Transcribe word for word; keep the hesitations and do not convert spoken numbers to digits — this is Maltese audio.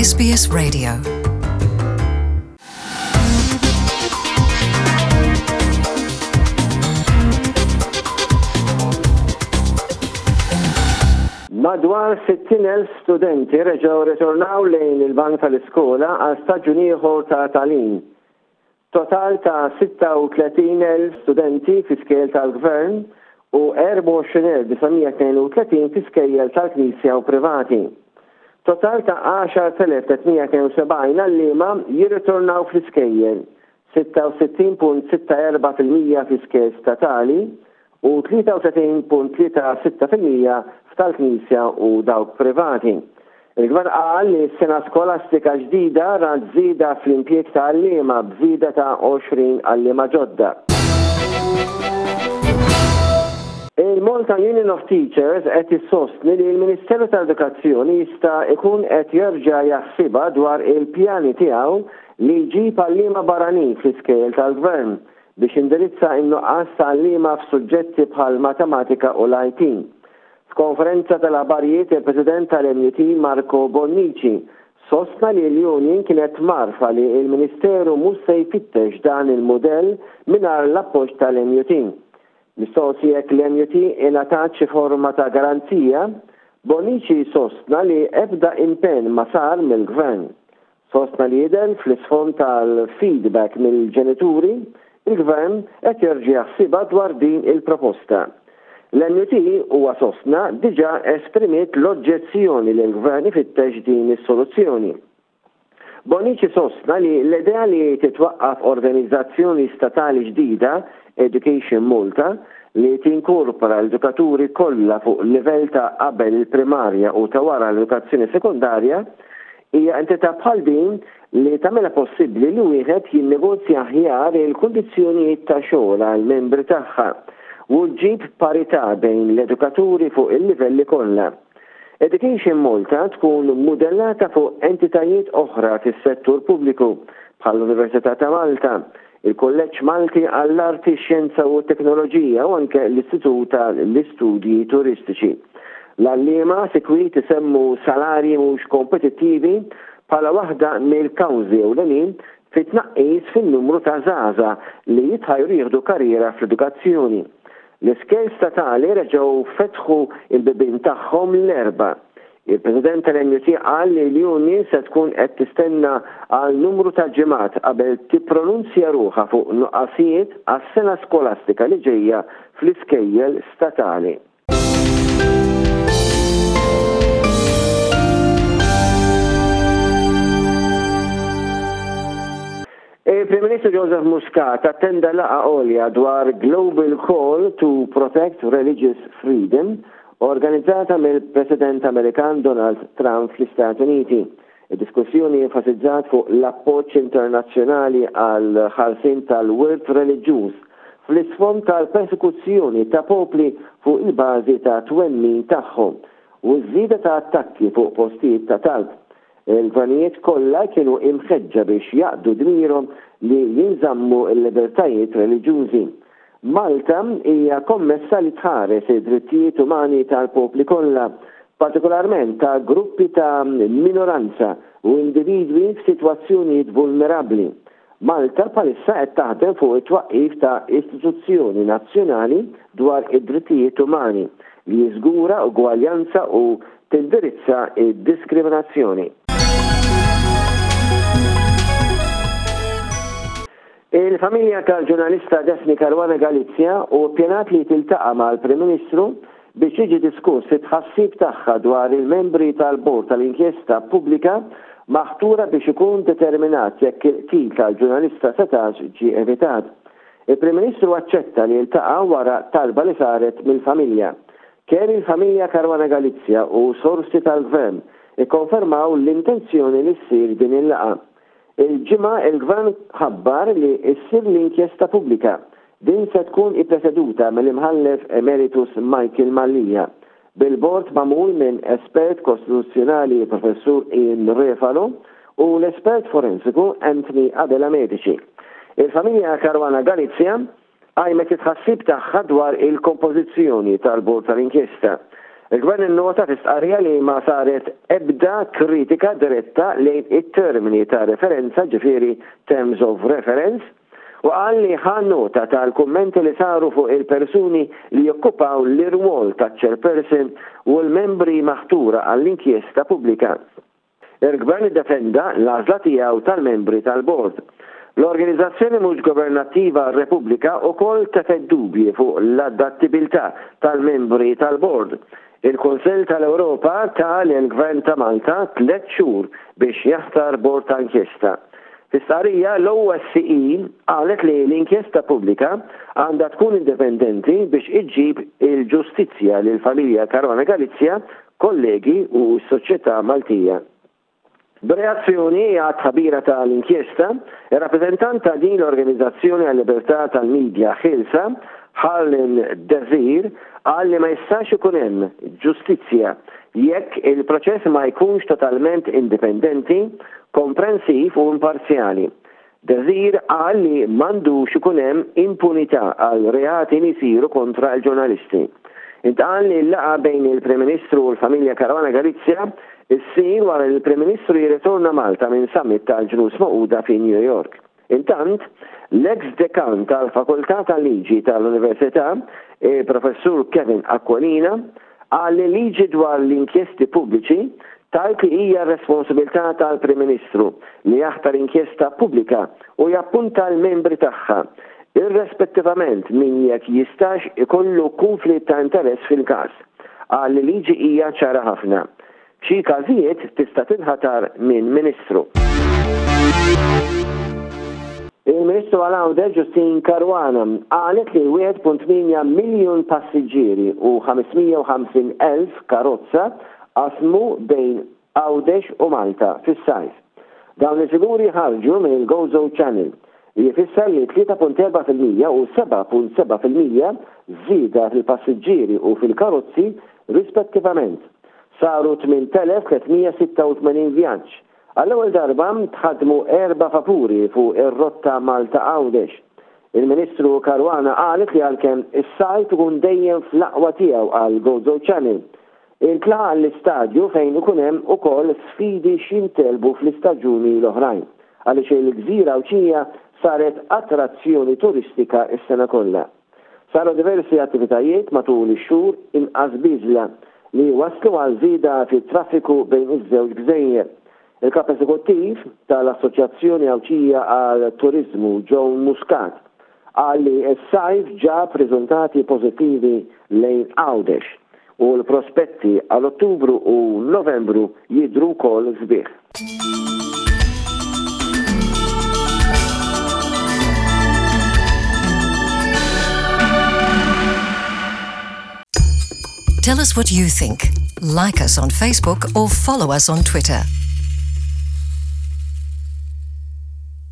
S B S Radio. Madwar sittin elf studenti reġgħu ritornaw lejn il-bank tal-iskola għal staġun ieħor ta' tagħlim. Total ta' sitta u tletin elf studenti fi skejjel tal-gvern u erbgħa u għoxrin elf disa' mija tnejn u tletin fi skejjel tal-Knisja u privati. Total ta' għaxart elef tliet mija tnejn u sebgħin għalliema jirritornaw fl-iskejjel, sitta u sittin punt sitta erba' fil-mija fi skejjel statali u tlieta u tletin punt tlieta sitta fil-mija f'tal-Knisja u dawk privati. Il-Gvern qal li s-sena skolastika ġdida rat żieda fl-impjieg ta' għalliema b'żieda ta' għoxrin għalliema ġodda. Il-Malta Union of Teachers qed issostni li l-Ministeru tal-Edukazzjoni jista' ikun qed jerġa' jaħsibha dwar il-pjani tiegħu li jġib għalliema barranin fl-iskejjel tal-Gvern biex indirizza n-nuqqas ta' għalliema f'suġġetti bħal matematika u l-I T. F'konferenza tal-aħbarijiet, il-President tal-M U T Marco Bonnici sostna li l-Union kienet mgħarrfa li il-Ministeru mhux se jfittex dan il-modell mingħajr l-appoġġ tal-M U T. Mistoqsi jekk l-M U T ingħatat xi forma ta' garanzija, Bonnici sostna li ebda impenn ma sar mill-Gvern. Sostna li jidher fl-isfond tal-feedback mill-ġenituri, il-Gvern qed jerġa' jaħsibha dwar din il-proposta. L-M U T, huwa sostna, diġà esprimiet l-oġġezzjoni li l-Gvern ifittex din is-soluzzjoni. Bonnici sostna li l-idea li titwaqqaf organizzazzjoni statali ġdida, Education Malta, li tinkorpora l-edukaturi kollha fuq livell ta' qabel il-primarja u ta' wara l-edukazzjoni sekondarja, hija entità bħal din li tagħmilha possibbli li wieħed jinnegozja aħjar il-kundizzjonijiet ta' xogħol għal membri tagħha u ġġib parità bejn l-edukaturi fuq il-livelli kollha. Education Malta tkun modellata fuq entitajiet oħra fis-settur pubbliku bħall-Università ta' Malta, il-Kolleġġ Malti għall-Arti, Xjenza u Teknoloġija u anke l-Istitut tal-Istudji Turistiċi. L-għalliema sikwit isemmu salarji mhux kompetittivi bħala waħda mill-kawżi ewlenin fit-tnaqqis fin-numru ta' żgħażagħ li jitħajru jieħdu karriera fl-edukazzjoni. L-iskejjel statali reġgħu fetħu il-bibien tagħhom l-Erbgħa. Il-President tal-M U T qal li l-Union se tkun qed tistenna għal numru ta' ġimgħat qabel tippronunzja ruħha fuq nuqqasijiet għas-sena skolastika li ġejja fl-iskejjel statali. Il-Prim Ministru Joseph Muscat attenda laqgħa għolja dwar Global Call to Protect Religious Freedom organizzata mill-President Amerikan Donald Trump fl-Istati Uniti. Id-diskussjoni enfasizzat fuq l-appoġġ internazzjonali għal ħarsien tal-wirt reliġjuż fl-isfond tal-persekuzzjoni ta' popli fuq il-bażi ta' twemmin tagħhom u ż-żieda ta' attakki fuq postijiet ta' talb. Il-gvernijiet kollha kienu imħeġġa biex jaqdu dmirhom li jinżammu l-libertajiet reliġjużi. Malta hija kommessa li tħares id-drittijiet umani tal-popli kollha, partikolarment ta' gruppi ta' minoranza u individwi f'sitwazzjonijiet vulnerabbli. Malta bħalissa qed taħdem fuq it-twaqqif ta' istituzzjoni nazzjonali dwar id-drittijiet umani li jiżgura ugwaljanza u tindirizza id-diskriminazzjoni. Il-familja tal-ġurnalista Daphne Caruana Galizia u pjanat li tiltaqa' mal-Prim Ministru biex jiġi diskuss it-tħassib tagħha dwar il-membri tal-Bord tal-Inkjesta Pubblika maħtura biex ikun determinat jekk il-qtil tal-ġurnalista setax ġie evitat. Il-Prim Ministru aċċetta li jiltaqa' wara talba li saret mill-familja. Kemm il-familja Caruana Galizia u sorsi tal-gvern ikkonfermaw l-intenzjoni li ssir din il-laqgħa. Il-Ġimgħa il-Gvern ħabbar li ssir l-inkjesta pubblika. Din se tkun ippreseduta mill-imħallef emeritus Michael Mallia, bil-bord magħmul minn espert kostituzzjonali Professur Ian Refalo u l-espert forensiku Anthony Abela Medici. Il-familja Caruana Galizia qajmet it-tħassib tagħha dwar il-kompożizzjoni tal-bord tal-inkjesta. Il-Gvern innota fi stqarrija li ma saret ebda kritika diretta lejn it-termini ta' referenza, ġifieri terms of reference, u qal li ħa nota tal-kummenti li saru fuq il-persuni li jokkupaw l-irwol ta' chairperson u l-membri maħtura għall-inkjesta pubblika. Il-Gvern iddefenda l-għażla tiegħu tal-membri tal-bord. L-organizzazzjoni mhux governattiva Repubblika ukoll tefgħet dubji fuq l-adattibilità tal-membri tal-bord. Il-Kunsill tal-Ewropa ta lill-Gvern ta' Malta tliet xhur biex jaħtar bord ta' inkjesta. Fi stqarrija, l-O S C E qalet li l-inkjesta pubblika għandha tkun indipendenti biex iġġib il-ġustizzja lil familja Caruana Galizia, kollegi u s-soċjetà Maltija. B'reazzjoni għat-tħabbira tal-inkjesta, il-rappresentant ta' din l-Organizzazzjoni għal-Libertà tal-Midja Ħielsa, Harlem Desir, qal li ma jistax ikun hemm ġustizzja jekk il-proċess ma jkunx totalment indipendenti, komprensiv u imparzjali. Desir qal li m'għandux ikun hemm impunità għal reati li jsiru kontra l-ġurnalisti. Intqal li l-laqgħa bejn il-Prim Ministru u l-familja Caruana Galizia issir wara li l-Prim Ministru jirritorna Malta minn summit tal-Ġnus Magħquda fi New York. Intant, l-ex dekan tal-Fakultà tal-Liġi tal-Università, il-Professur Kevin Aquilina, qal li liġi dwar l-inkjesti pubbliċi tgħid li hija responsabilità tal-Prim Ministru li jaħtar inkjesta pubblika u jappunta l-membri tagħha, irrispettivament minn jekk jistax ikollu konflitt ta' interess fil-każ. Qal li liġi hija ċara ħafna. F'xi każijiet tista' tinħatar minn ministru. Il-Ministru għal Għawdex Justyne Caruana qalet li wieħed punt tmienja miljun passiġġieri u ħames mija u ħamsin elf karozza qasmu bejn Għawdex u Malta fis-sajf. Dawn il-figuri ħarġu mill-Gozo Channel, li jfisser li tlieta punt erbgħa fil-mija u sebgħa punt sebgħa fil-mija żieda fil-passiġġieri u fil-karozzi rispettivament. Saru tmien elef tliet mija sitta u tmenin vjaġġ. Għall-ewwel darba tħadmu erba' vapuri fuq ir-rotta Malta Għawdex. Il-Ministru Caruana qalet li għalkemm is-sajf ikun dejjem fl-aqwa tiegħu għal Gozo Channel, intlaħaq l-istadju fejn ikun hemm ukoll sfidi x'jintgħelbu fl-istaġuni l-oħrajn, għaliex il-gżira Għawdxija saret attrazzjoni turistika s-sena kollha. Saru diversi attivitajiet matul ix-xhur inqas biżla li waslu għal żieda fit-traffiku bejn iż-żewġ gżejjer. Il-kap eżekuttiv tal-Assoċjazzjoni Għawdxija għal Turizmu, Joe Muscat, qal li s-sajf ġab riżultati pożittivi lejn Għawdex u l-prospetti għal Ottubru u Novembru jidru wkoll sbieħ. Tell us what you think. Like us on Facebook or follow us on Twitter.